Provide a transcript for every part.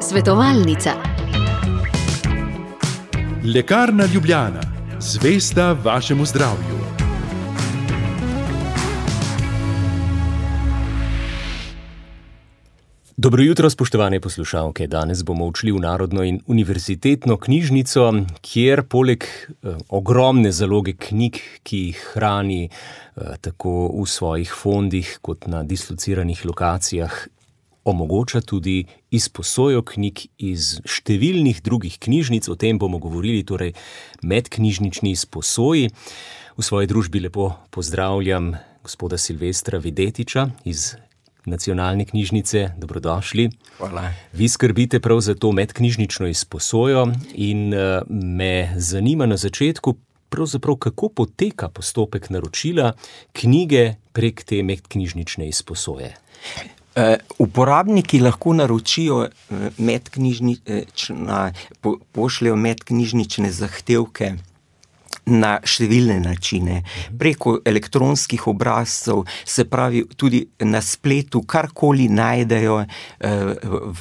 Svetovalnica. Lekarna Ljubljana, zvesta vašemu zdravju. Dobro jutro, spoštovane poslušalke. Danes bomo odšli v Narodno in univerzitetno knjižnico, kjer poleg ogromne zaloge knjig, ki jih hrani tako v svojih fondih kot na dislociranih lokacijah, omogoča tudi izposojo knjig iz številnih drugih knjižnic. O tem bomo govorili, torej medknjižnični izposoji. V svoji družbi lepo pozdravljam gospoda Silvestra Videtiča iz Nacionalne knjižnice. Dobrodošli. Hvala. Vi skrbite prav za to medknjižnično izposojo in me zanima na začetku pravzaprav, kako poteka postopek naročila knjige prek te medknjižnične izposoje. Uporabniki lahko naročijo pošljejo medknjižnične zahtevke na številne načine. Preko elektronskih obrazcev, se pravi tudi na spletu, karkoli najdejo v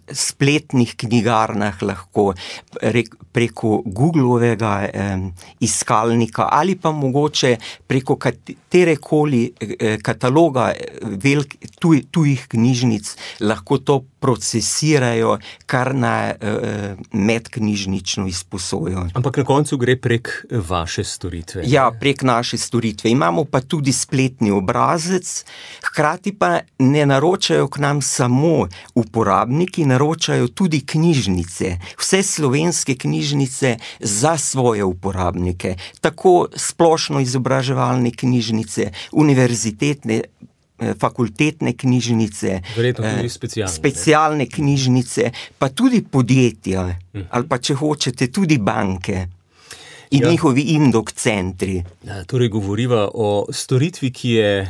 spletnih knjigarnah, lahko preko Googlovega iskalnika ali pa mogoče preko katerekoli kataloga tujih knjižnic lahko to procesirajo kar na medknjižnično izposojo. Ampak na koncu gre prek vaše storitve. Ja, prek naše storitve. Imamo pa tudi spletni obrazec, hkrati pa ne naročajo k nam samo uporabniki, naročajo tudi knjižnice. Vse slovenske knjižnice za svoje uporabnike. Tako splošno izobraževalne knjižnice, univerzitetne, fakultetne knjižnice, specialne knjižnice, pa tudi podjetja, ali pa če hočete tudi banke in njihovi indok centri. Torej govoriva o storitvi, ki je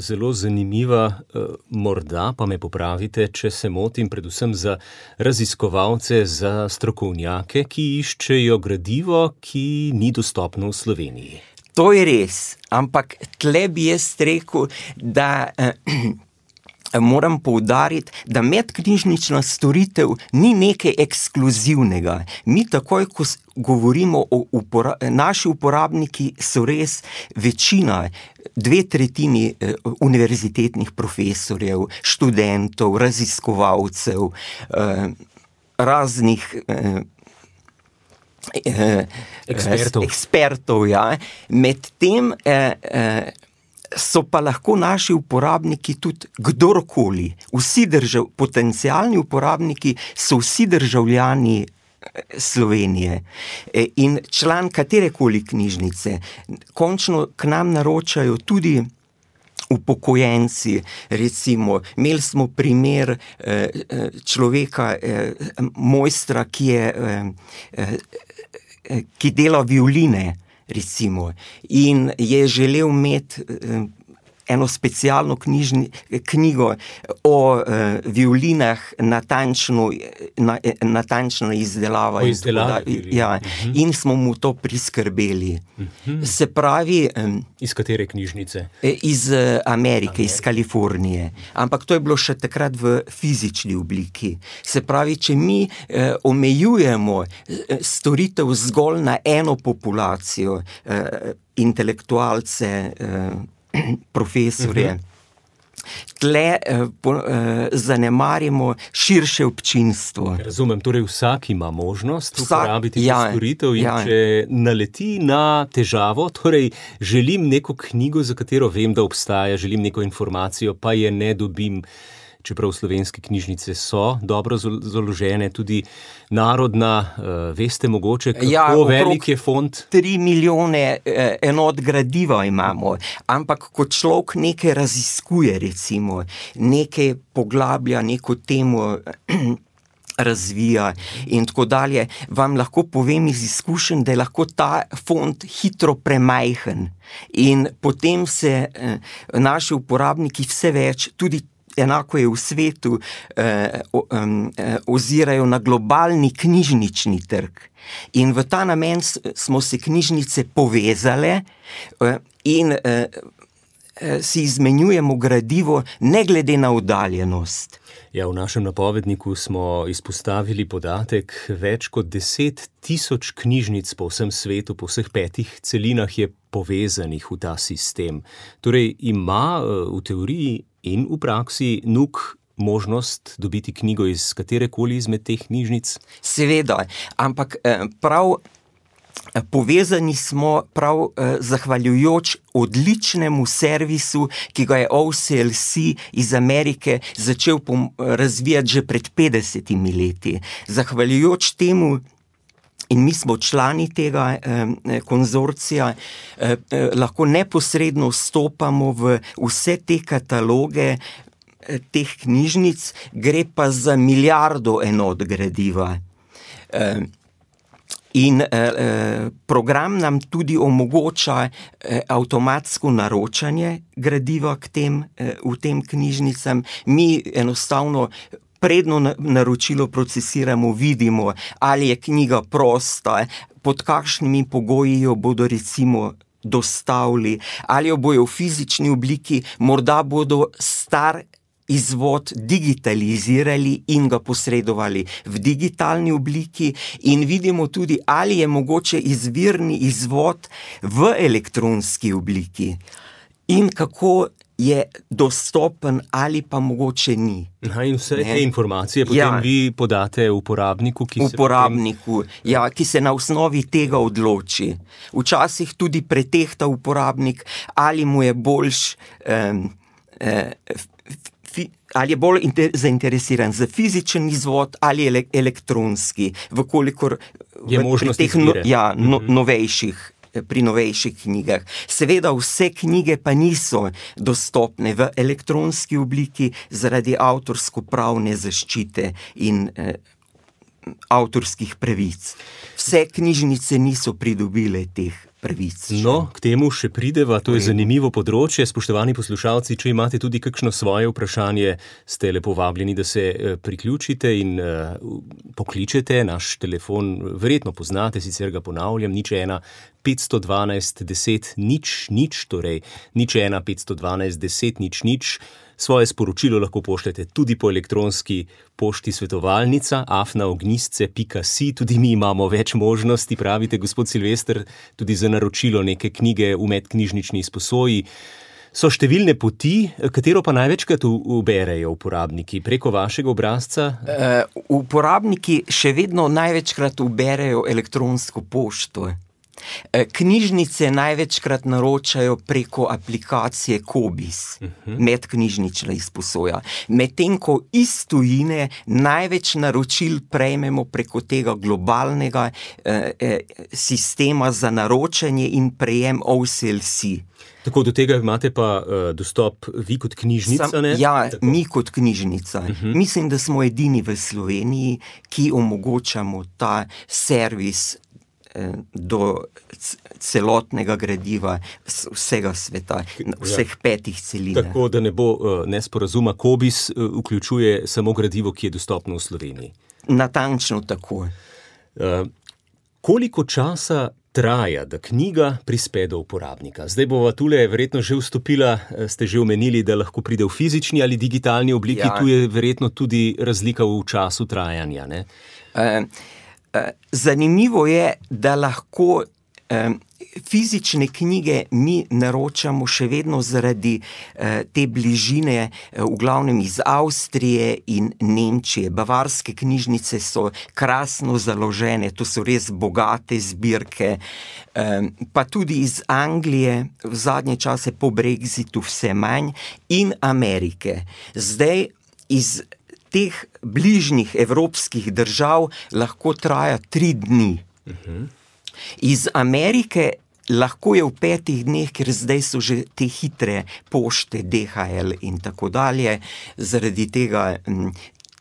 zelo zanimiva, morda pa me popravite, če se motim, predvsem za raziskovalce, za strokovnjake, ki iščejo gradivo, ki ni dostopno v Sloveniji. To je res, ampak tle bi jaz rekel, da moram poudariti, da medknjižnična storitev ni nekaj ekskluzivnega. Mi takoj, ko govorimo o naši uporabniki, so res večina, 2/3 univerzitetnih profesorjev, študentov, raziskovalcev, raznih ekspertov, ja. Medtem so pa lahko naši uporabniki tudi kdorkoli. Potencialni uporabniki so vsi državljani Slovenije in član katerekoli knjižnice. Končno k nam naročajo tudi upokojenci, recimo. Imeli smo primer človeka, mojstra, ki dela violine, recimo, in je želel imeti eno specialno knjigo o violinah, natančno izdelava. Ja, in smo mu to priskrbeli. Se pravi... Iz katere knjižnice? Iz Amerike, iz Kalifornije. Ampak to je bilo še takrat v fizični obliki. Se pravi, če mi omejujemo storitev zgolj na eno populacijo, intelektualce, profesorje, tle zanemarimo širše občinstvo. Razumem, torej vsak ima možnost uporabiti to storitev in če naleti na težavo, torej želim neko knjigo, za katero vem, da obstaja, želim neko informacijo, pa je ne dobim, čeprav slovenske knjižnice so dobro založene, tudi Narodna, veste mogoče, kako velik je fond? 3 milijone enot gradiva imamo, ampak ko človek nekaj raziskuje, recimo, nekaj poglablja, neko temo razvija in tako dalje, vam lahko povem iz izkušenj, da je lahko ta fond hitro premajhen in potem se naši uporabniki vse več, tudi enako je v svetu, ozirajo na globalni knjižnični trg. In v ta namen smo se knjižnice povezale in si izmenjujemo gradivo ne glede na oddaljenost. Ja, v našem napovedniku smo izpostavili podatek, več kot 10 000 knjižnic po vsem svetu, po vseh 5 celinah je povezanih v ta sistem. Torej ima v teoriji in v praksi NUK možnost dobiti knjigo iz katerekoli izmed teh knjižnic? Seveda, ampak prav povezani smo prav zahvaljujoč odličnemu servisu, ki ga je OCLC iz Amerike začel razvijati že pred 50 leti. Zahvaljujoč temu, in mi smo člani tega konzorcija, lahko neposredno vstopamo v vse te kataloge teh knjižnic, gre pa za milijardo enot gradiva. In program nam tudi omogoča avtomatsko naročanje gradiva v tem knjižnicam. Mi enostavno predno naročilo procesiramo, vidimo, ali je knjiga prosta, pod kakšnimi pogoji jo bodo recimo dostavili, ali jo bojo v fizični obliki, morda bodo star izvod digitalizirali in ga posredovali v digitalni obliki, in vidimo tudi, ali je mogoče izvirni izvod v elektronski obliki in kako je dostopen ali pa mogoče ni. In vse te informacije potem vi podate uporabniku, ki se na osnovi tega odloči. Včasih tudi pretehta uporabnik, ali mu je boljš ali je bolj zainteresiran za fizičen izvod ali elektronski, vkolikor je možnost izbire. Pri novejših knjigah. Seveda vse knjige pa niso dostopne v elektronski obliki zaradi avtorsko-pravne zaščite in avtorskih pravic. Vse knjižnice niso pridobile teh pravic. No, k temu še prideva, to je zanimivo področje. Spoštovani poslušalci, če imate tudi kakšno svoje vprašanje, ste lepo vabljeni, da se priključite in pokličete. Naš telefon verjetno poznate, sicer ga ponavljam, 01 512 10 00, torej 01 512 10 00. Svoje sporočilo lahko pošljete tudi po elektronski pošti svetovalnica@ognjisce.si. Tudi mi imamo več možnosti, pravite, gospod Silvester, tudi za naročilo neke knjige v medknjižnični izposoji. So številne poti, katero pa največkrat uberejo uporabniki? Preko vašega obrazca? Uporabniki še vedno največkrat uberejo elektronsko pošto. Knjižnice največkrat naročajo preko aplikacije Kobis, medknjižnična izposoja. Medtem ko iz tujine največ naročil prejmemo preko tega globalnega sistema za naročanje in prejem OCLC. Tako, do tega imate pa dostop vi kot knjižnica, ne? Ja, mi kot knjižnica. Mislim, da smo edini v Sloveniji, ki omogočamo ta servis do celotnega gradiva vsega sveta, vseh 5 celinah. Tako, da ne bo nesporazuma, Kobis vključuje samo gradivo, ki je dostopno v Sloveniji. Natančno tako. Koliko časa traja, da knjiga prispe do uporabnika? Zdaj bova tule verjetno že vstopila, ste že omenili, da lahko pride v fizični ali digitalni obliki, tu je verjetno tudi razlika v času trajanja, ne? Zanimivo je, da lahko fizične knjige mi naročamo še vedno zaradi te bližine, v glavnem iz Avstrije in Nemčije. Bavarske knjižnice so krasno založene, to so res bogate zbirke, pa tudi iz Anglije, v zadnje čase po Brexitu vse manj, in Amerike. Zdaj iz teh bližnjih evropskih držav lahko traja 3 dni. Iz Amerike lahko je v 5 dneh, ker zdaj so že te hitre pošte, DHL in tako dalje, zaradi tega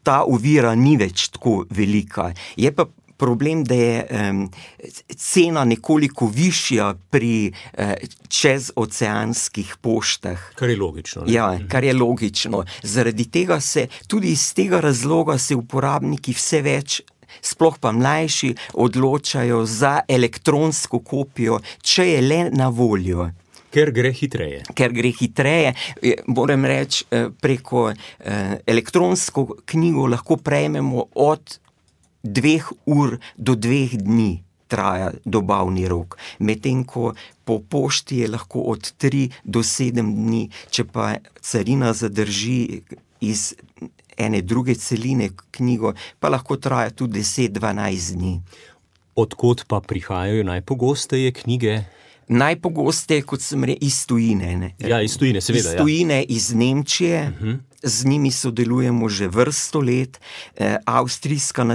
ta ovira ni več tako velika. Je pa problem, da je cena nekoliko višja pri čezoceanskih poštah. Kar je logično, ne? Ja, kar je logično. Zaradi tega tudi iz tega razloga se uporabniki vse več, sploh pa mlajši, odločajo za elektronsko kopijo, če je le na voljo. Ker gre hitreje. Ker gre hitreje, moram reči, preko elektronsko knjigo lahko prejmemo od 2 ur do 2 dni traja dobavni rok. Medtem ko po pošti je lahko od 3 do 7 dni, če pa carina zadrži iz ene druge celine knjigo, pa lahko traja tudi 10-12 dni. Odkot pa prihajajo najpogosteje knjige? Najpogosteje, kot sem rekel, iz tujine. Ne? Ja, iz tujine, seveda. Iz tujine, iz Nemčije. Z njimi sodelujemo že vrsto let. Avstrijska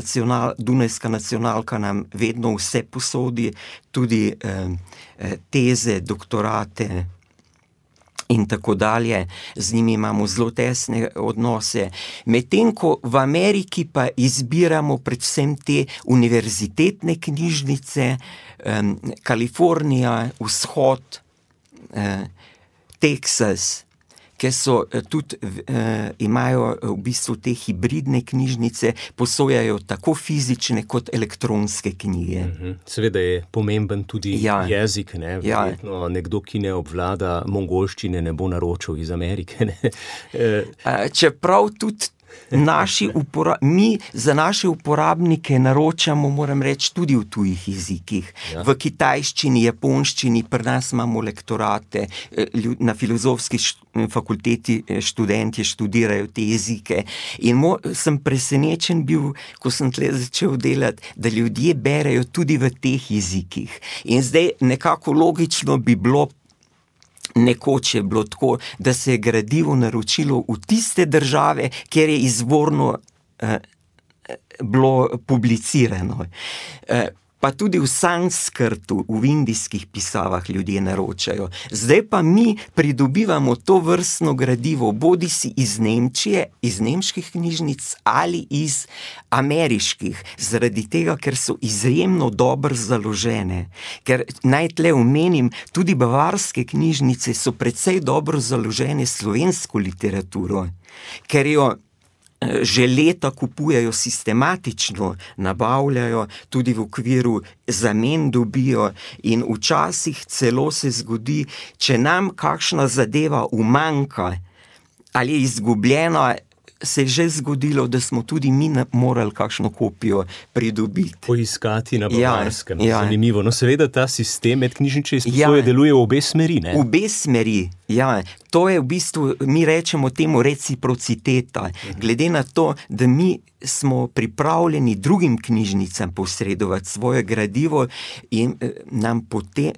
Dunajska nacionalka nam vedno vse posodi, tudi teze, doktorate in tako dalje. Z njimi imamo zelo tesne odnose. Medtem ko v Ameriki pa izbiramo predvsem te univerzitetne knjižnice, Kalifornija, Vzhod, Teksas, ki so tudi, imajo v bistvu te hibridne knjižnice, posojajo tako fizične kot elektronske knjige. Seveda je pomemben tudi jezik, ne? Verjetno nekdo, ki ne obvlada mongolščine, ne bo naročil iz Amerike, ne? Čeprav tudi mi za naše uporabnike naročamo, moram reči, tudi v tujih jezikih. V kitajščini, japonščini, pri nas imamo lektorate, na filozofski fakulteti študentje študirajo te jezike. In sem presenečen bil, ko sem tle začel delati, da ljudje berejo tudi v teh jezikih. In zdaj nekako logično bi bilo, nekoč je bilo tako, da se je gradivo naročilo v tiste države, kjer je izvorno bilo publicirano. Pa tudi v sanskrtu, v indijskih pisavah ljudje naročajo. Zdaj pa mi pridobivamo to vrstno gradivo bodisi iz Nemčije, iz nemških knjižnic ali iz ameriških, zaradi tega, ker so izjemno dobro založene. Ker naj tle omenim, tudi bavarske knjižnice so precej dobro založene slovensko literaturo, ker jo že leta kupujejo sistematično, nabavljajo, tudi v okviru zamen dobijo in včasih celo se zgodi, če nam kakšna zadeva umanjka ali je izgubljena, se je že zgodilo, da smo tudi mi morali kakšno kopijo pridobiti. Poiskati na bavarskem. Zanimivo. No, seveda ta sistem medknjižnične izposoje deluje v obe smeri, ne? V obe smeri, ja. To je v bistvu, mi rečemo temu reciprociteta. Glede na to, da mi smo pripravljeni drugim knjižnicam posredovati svoje gradivo in nam potem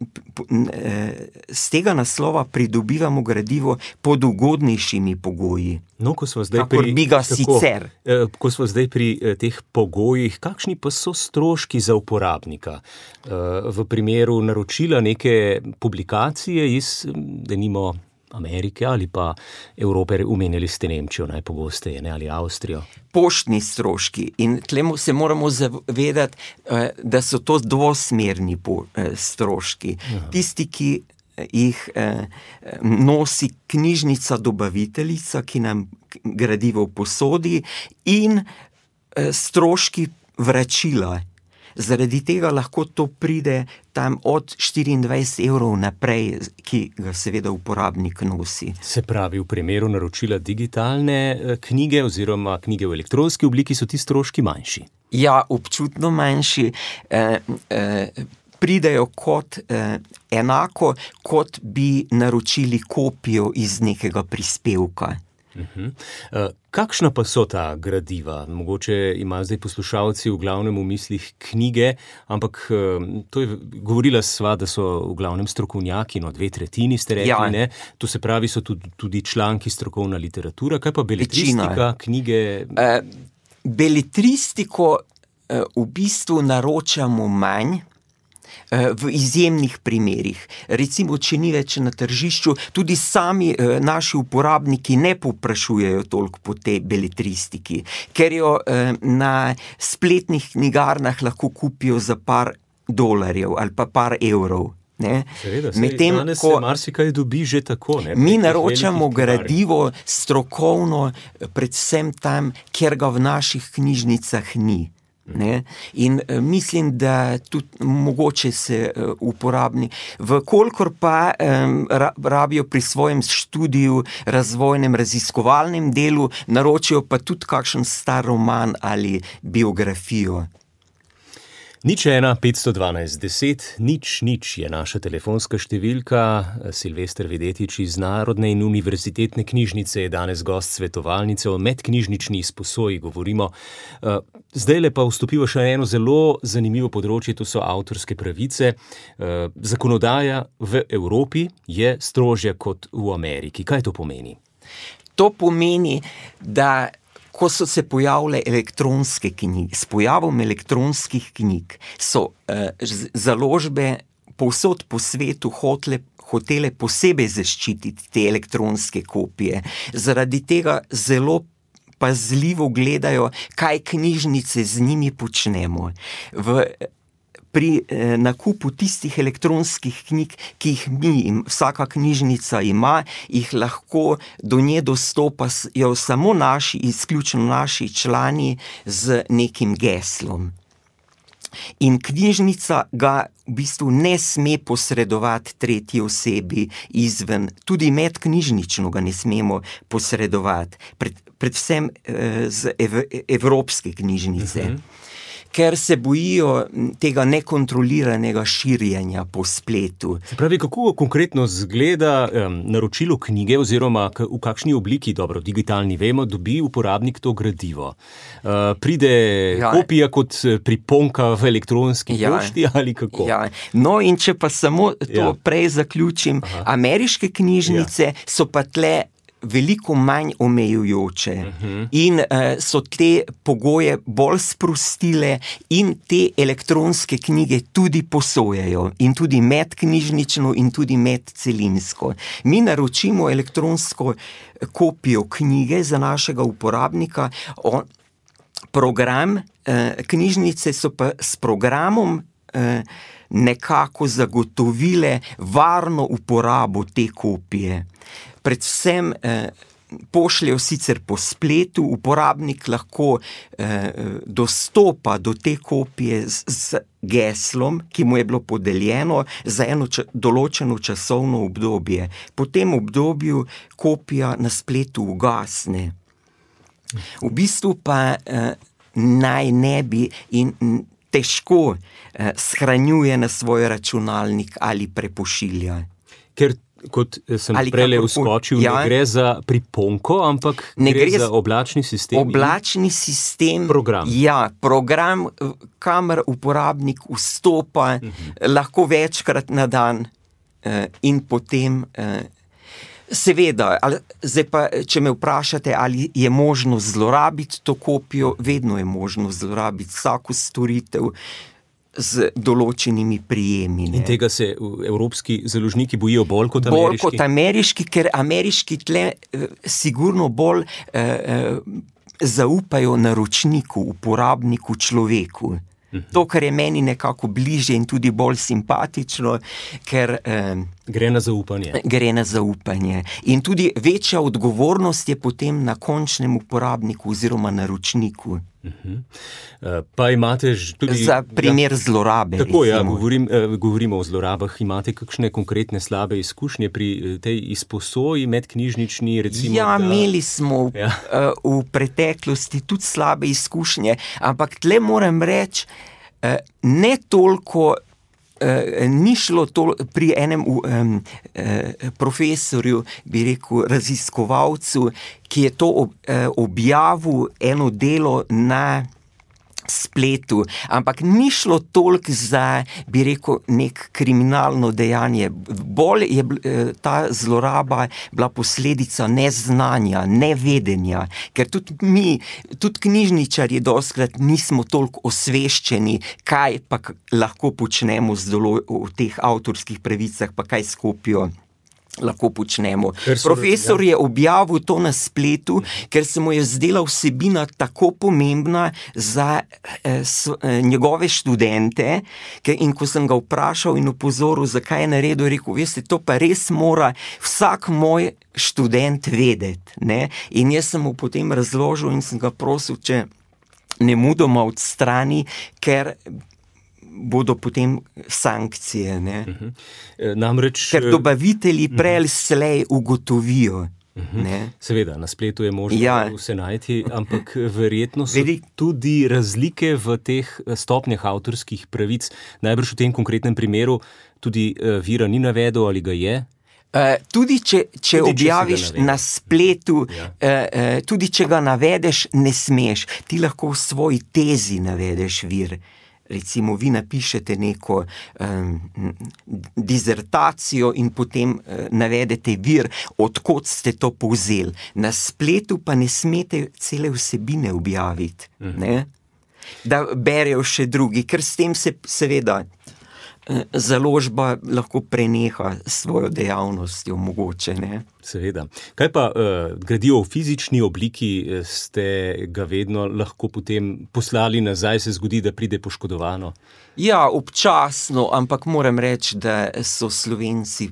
z tega naslova pridobivamo gradivo pod ugodnejšimi pogoji. No, ko smo zdaj ko smo zdaj pri teh pogojih, kakšni pa so stroški za uporabnika? V primeru naročila neke publikacije iz, denimo, Amerike ali pa Evrope, omenjali ste Nemčijo najpogosteje, ne, ali Avstrijo? Poštni stroški. In tle se moramo zavedati, da so to dvosmerni stroški. Tisti, ki jih nosi knjižnica dobaviteljica, ki nam gradivo posodi, in stroški vračila. Zaradi tega lahko to pride tam od 24 evrov naprej, ki ga seveda uporabnik nosi. Se pravi, v primeru naročila digitalne knjige oziroma knjige v elektronski obliki so ti stroški manjši? Ja, občutno manjši. Pridejo kot enako, kot bi naročili kopijo iz nekega prispevka. Kakšna pa so ta gradiva? Mogoče imajo zdaj poslušalci v glavnem v mislih knjige, ampak to je, govorila sva, da so v glavnem strokovnjaki, 2/3 ste rekli, ne? To se pravi, so tudi članki, strokovna literatura, kaj pa beletristika, knjige? Beletristiko v bistvu naročamo manj, v izjemnih primerih. Recimo, če ni več na tržišču, tudi sami naši uporabniki ne povprašujejo toliko po tej beletristiki, ker jo na spletnih knjigarnah lahko kupijo za par dolarjev ali pa par evrov. Ne? Seveda, danes se marsikaj dobi že tako. Ne? Mi naročamo gradivo strokovno, predvsem tam, kjer ga v naših knjižnicah ni. Ne? In mislim, da tudi mogoče se uporabni, vkolikor pa rabijo pri svojem študiju, razvojnem, raziskovalnem delu, naročijo pa tudi kakšen star roman ali biografijo. 01 512 10 000 je naša telefonska številka. Silvester Videtič iz Narodne in univerzitetne knjižnice je danes gost svetovalnice o medknjižnični izposoji govorimo. Zdajle pa vstopiva še eno zelo zanimivo področje, to so avtorske pravice. Zakonodaja v Evropi je strožja kot v Ameriki. Kaj to pomeni? To pomeni, da ko so se pojavile elektronske knjige, s pojavom elektronskih knjig so založbe povsod po svetu hotele posebej zaščititi te elektronske kopije. Zaradi tega zelo pazljivo gledajo, kaj knjižnice z njimi počnemo. Pri nakupu tistih elektronskih knjig, ki jih vsaka knjižnica ima, jih lahko do nje dostopajo samo izključno naši člani z nekim geslom. In knjižnica ga v bistvu ne sme posredovati tretji osebi izven, tudi medknjižnično ga ne smemo posredovati, predvsem z evropske knjižnice. Ker se bojijo tega nekontroliranega širjenja po spletu. Se pravi, kako konkretno zgleda naročilo knjige oziroma v kakšni obliki, dobro, digitalni vemo, dobi uporabnik to gradivo? Pride kopija kot priponka v elektronski pošti ali kako? Ja. No in če pa samo to prej zaključim, ameriške knjižnice so pa tle veliko manj omejujoče in so te pogoje bolj sprostile in te elektronske knjige tudi posojajo in tudi medknjižnično in tudi medcelinsko. Mi naročimo elektronsko kopijo knjige za našega uporabnika, program knjižnice so pa s programom nekako zagotovile varno uporabo te kopije. Predvsem pošljejo sicer po spletu, uporabnik lahko dostopa do te kopije z geslom, ki mu je bilo podeljeno za eno določeno časovno obdobje. Po tem obdobju kopija na spletu ugasne. V bistvu pa naj ne bi in težko shranjuje na svoj računalnik ali prepošilja. Ker kot sem prejle uskočil, ne gre za priponko, ampak gre za oblačni sistem. Oblačni sistem. Program. Ja, program, kamor uporabnik vstopa, lahko večkrat na dan in potem seveda, zdaj pa, če me vprašate, ali je možno zlorabiti to kopijo, vedno je možno zlorabiti vsako storitev z določenimi prijemi. In tega se evropski založniki bojijo bolj kot ameriški? Bolj kot ameriški, ker ameriški tle sigurno bolj zaupajo naročniku, uporabniku, človeku. To, kar je meni nekako bliže in tudi bolj simpatično, ker gre na zaupanje. Gre na zaupanje. In tudi večja odgovornost je potem na končnem uporabniku oziroma naročniku. Pa imate tudi za primer zlorabe. Tako, govorimo o zlorabah. Imate kakšne konkretne slabe izkušnje pri tej izposoji medknjižnični, recimo? Ja, imeli smo v preteklosti tudi slabe izkušnje, ampak tle moram reči, ne toliko ni šlo pri enem profesorju, bi rekel, raziskovalcu, ki je to objavil eno delo na spletu, ampak ni šlo toliko za, bi rekel, nek kriminalno dejanje. Bolj je ta zloraba bila posledica neznanja, nevedenja, ker tudi mi, tudi knjižničarji dostikrat nismo toliko osveščeni, kaj pa lahko počnemo v teh avtorskih pravicah, pa kaj s kopijo lahko počnemo. Profesor je objavil to na spletu, ker se mu je zdela vsebina tako pomembna za njegove študente, in ko sem ga vprašal in opozoril, zakaj je naredil, je rekel, veste, to pa res mora vsak moj študent vedeti, ne? In jaz sem mu potem razložil in sem ga prosil, če nemudoma odstrani, ker bodo potem sankcije. Ne? Namreč, ker dobavitelji prej ali slej ugotovijo. Seveda, na spletu je možno vse najti, ampak verjetno so tudi razlike v teh stopnjah avtorskih pravic. Najbrž v tem konkretnem primeru tudi vira ni navedel ali ga je? Tudi če objaviš na spletu, tudi če ga navedeš, ne smeš. Ti lahko v svoji tezi navedeš vir. Recimo, vi napišete neko dizertacijo in potem navedete vir, odkot ste to povzeli. Na spletu pa ne smete cele vsebine objaviti, ne? Da berejo še drugi, ker s tem se seveda založba lahko preneha svojo dejavnostjo, mogoče, ne? Seveda. Kaj pa gradivo v fizični obliki, ste ga vedno lahko potem poslali nazaj, se zgodi, da pride poškodovano? Ja, občasno, ampak moram reči, da so Slovenci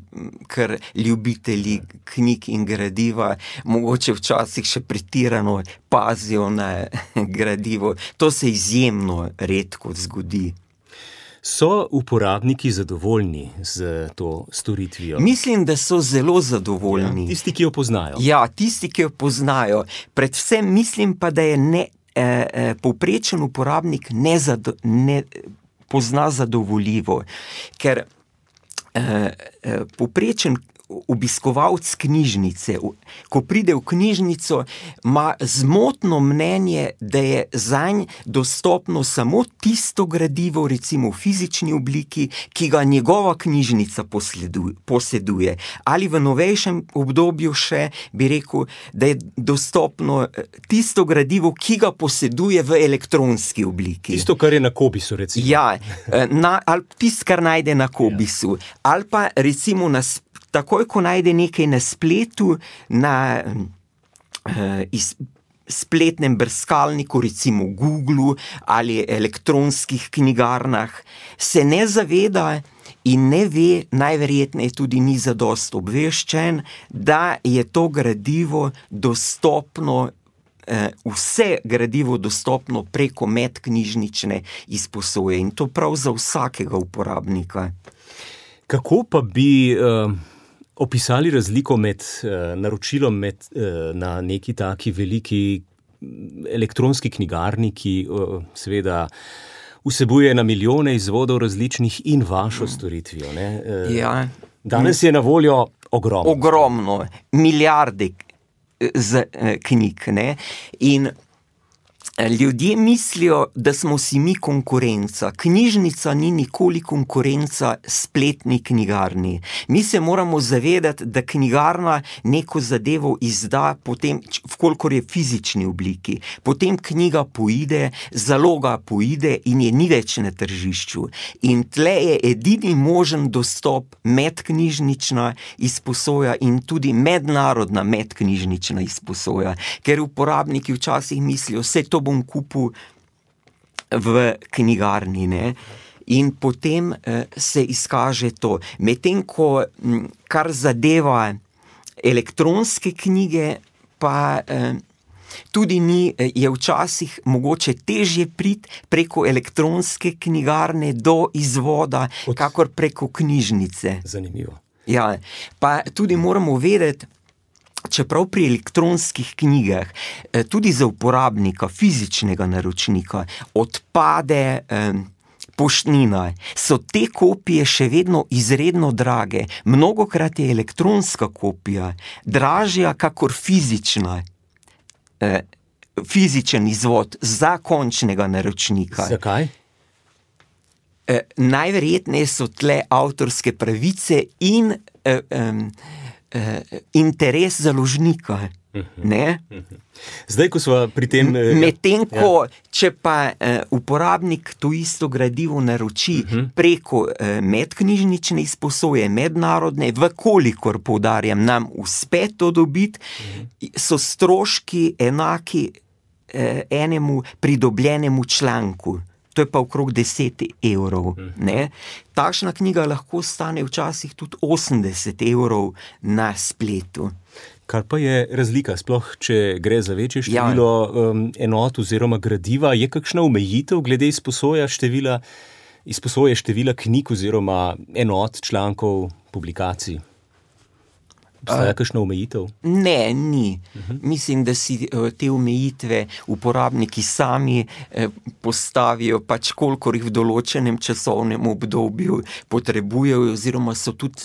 kar ljubitelji knjig in gradiva, mogoče včasih še pretirano pazijo na gradivo. To se izjemno redko zgodi. So uporabniki zadovoljni z to storitvijo? Mislim, da so zelo zadovoljni. Ja, tisti, ki jo poznajo. Ja, tisti, ki jo poznajo. Predvsem mislim pa, da je povprečen uporabnik ne pozna zadovoljivo, ker povprečen obiskovalec knjižnice, ko pride v knjižnico, ima zmotno mnenje, da je zanj dostopno samo tisto gradivo, recimo v fizični obliki, ki ga njegova knjižnica poseduje. Ali v novejšem obdobju še bi rekel, da je dostopno tisto gradivo, ki ga poseduje v elektronski obliki. Tisto, kar je na Kobisu, recimo. Ja, ali tisto, kar najde na Kobisu. Ali pa recimo takoj, ko najde nekaj na spletu, na spletnem brskalniku, recimo Googlu ali elektronskih knjigarnah, se ne zaveda in ne ve, najverjetneje tudi ni zadosti obveščen, da je to gradivo dostopno, vse gradivo dostopno preko medknjižnične izposoje in to prav za vsakega uporabnika. Kako pa bi opisali razliko med naročilom na neki taki veliki elektronski knjigarni, ki seveda vsebuje na milijone izvodov različnih in vašo storitvijo, ne? Ja. Danes je na voljo ogromno. Ogromno, milijarde knjig, ne? In ljudje mislijo, da smo si mi konkurenca. Knjižnica ni nikoli konkurenca spletni knjigarni. Mi se moramo zavedati, da knjigarna neko zadevo izda potem, vkolikor je v fizični obliki. Potem knjiga poide, zaloga poide in je ni več na tržišču. In tle je edini možen dostop medknjižnična izposoja in tudi mednarodna medknjižnična izposoja. Ker uporabniki včasih mislijo, vse to bom kupil v knjigarni, ne? In potem se izkaže to. Medtem ko, kar zadeva elektronske knjige, pa tudi je včasih mogoče težje priti preko elektronske knjigarne do izvoda, kakor preko knjižnice. Zanimivo. Ja, pa tudi moramo vedeti, čeprav pri elektronskih knjigah, tudi za uporabnika, fizičnega naročnika, odpade poštnina, so te kopije še vedno izredno drage. Mnogokrat je elektronska kopija dražja kakor fizičen izvod za končnega naročnika. Zakaj? Najverjetneje so tle avtorske pravice in interes založnika, ne? Zdaj, ko smo pri tem... Medtem ko, če pa uporabnik to isto gradivo naroči preko medknjižnične izposoje, mednarodne, vkolikor, poudarjam, nam uspe to dobiti, so stroški enaki enemu pridobljenemu članku. To je pa okrog 10 evrov, ne? Takšna knjiga lahko stane včasih tudi 80 evrov na spletu. Kar pa je razlika, sploh če gre za večje število enot oziroma gradiva, je kakšna omejitev glede izposoje števila knjig oziroma enot, člankov, publikacij? Obstaja kakšna omejitev? Ne, ni. Mislim, da si te omejitve uporabniki sami postavijo, pač kolikor jih v določenem časovnem obdobju potrebujejo oziroma so tudi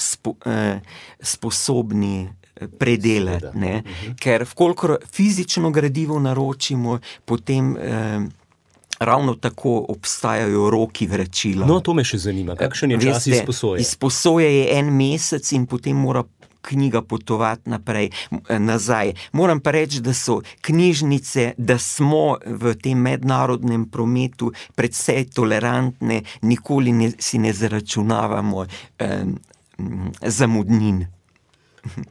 sposobni predelati. Ne? Ker vkolikor fizično gradivo naročimo, potem ravno tako obstajajo roki vračila. No, to me še zanima. Kakšen je čas izposoje? Izposoje je 1 mesec in potem mora knjiga potovati nazaj. Moram pa reči, da so knjižnice, da smo v tem mednarodnem prometu precej tolerantne, nikoli si ne zaračunavamo zamudnin.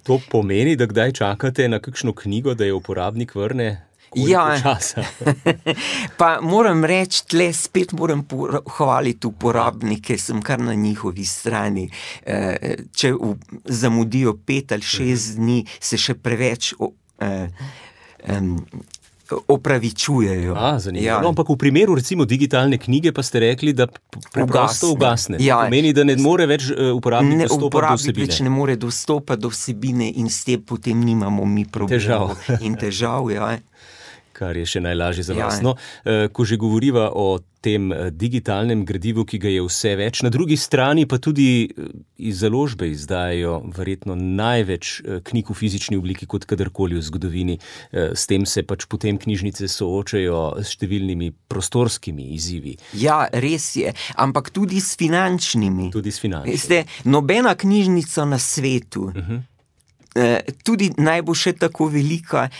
To pomeni, da kdaj čakate na kakšno knjigo, da je uporabnik vrne? Časa? Pa moram reči, tle spet moram hvaliti uporabnike, sem kar na njihovi strani. Če zamudijo 5 ali 6 dni, se še preveč opravičujejo. Zanimivo. No, ampak v primeru recimo digitalne knjige pa ste rekli, da preprosto ugasne. Pomeni, da ne more več uporabnik dostopati do vsebine. Uporabnik več ne more dostopati do vsebine in s tem potem nimamo mi problemov. Težav, Kar je še najlažje za vas. No, ko že govoriva o tem digitalnem gradivu, ki ga je vse več, na drugi strani pa tudi iz založbe izdajajo verjetno največ knjig v fizični obliki kot kadarkoli v zgodovini. S tem se pač potem knjižnice soočajo s številnimi prostorskimi izzivi. Ja, res je, ampak tudi s finančnimi. Tudi s finančnimi. Veste, nobena knjižnica na svetu, tudi naj bo še tako velika,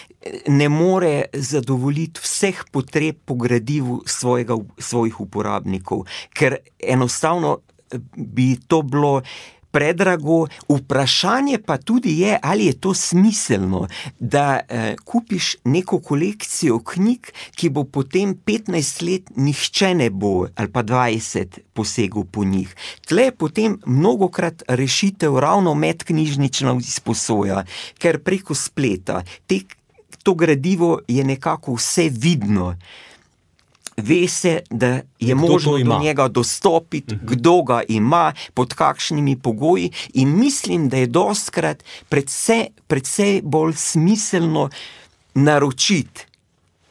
ne more zadovoljiti vseh potreb po gradivu svojih uporabnikov, ker enostavno bi to bilo predrago. Vprašanje pa tudi je, ali je to smiselno, da kupiš neko kolekcijo knjig, ki bo potem 15 let nihče ne bo, ali pa 20 posegel po njih. Tle je potem mnogokrat rešitev ravno medknjižnična izposoja, ker preko spleta to gradivo je nekako vse vidno. Ve se, da je možno do njega dostopiti, kdo ga ima, pod kakšnimi pogoji, in mislim, da je dostikrat precej bolj smiselno naročiti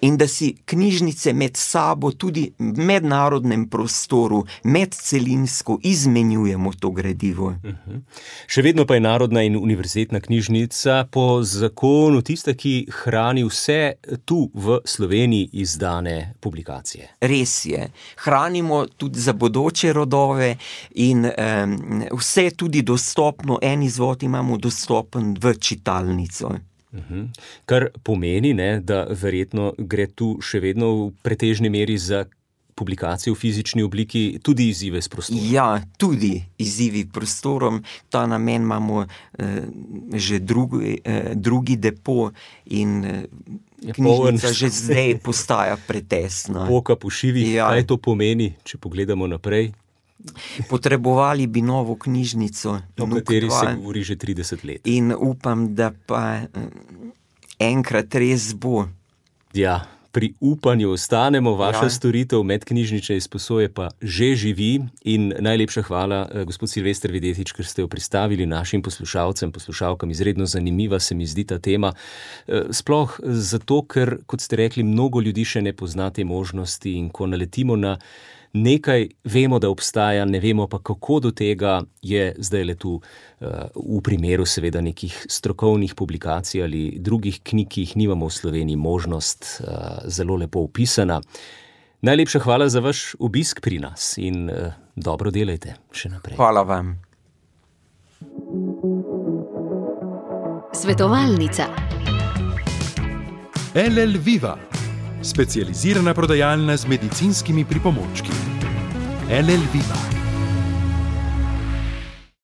in da si knjižnice med sabo tudi v mednarodnem prostoru, medcelinsko izmenjujemo to gradivo. Še vedno pa je Narodna in univerzitetna knjižnica po zakonu tista, ki hrani vse tu v Sloveniji izdane publikacije. Res je. Hranimo tudi za bodoče rodove in vse je tudi dostopno, en izvod imamo dostopen v čitalnico. Kar pomeni, da verjetno gre tu še vedno v pretežni meri za publikacijo v fizični obliki, tudi izzive s prostorom. Ja, tudi izzivi prostorom. Ta namen imamo že drugi depo in knjižnica že zdaj postaja pretesna. Poka po šivih, kaj to pomeni, če pogledamo naprej? Potrebovali bi novo knjižnico, o kateri se govori že 30 let. In upam, da pa enkrat res bo. Ja, pri upanju ostanemo, vaša storitev medknjižnične izposoje pa že živi in najlepša hvala, gospod Silvester Videtič, ker ste jo pristavili našim poslušalcem, poslušalkam. Izredno zanimiva se mi zdi ta tema. Sploh zato, ker, kot ste rekli, mnogo ljudi še ne pozna te možnosti in ko naletimo na nekaj, vemo, da obstaja, ne vemo pa, kako do tega, je zdaj le tu v primeru seveda nekih strokovnih publikacij ali drugih knjig, ki jih nimamo v Sloveniji, možnost zelo lepo opisana. Najlepša hvala za vaš obisk pri nas in dobro delajte še naprej. Hvala vam. Svetovalnica. LL Viva, specializirana prodajalna z medicinskimi pripomočki. LL Viva.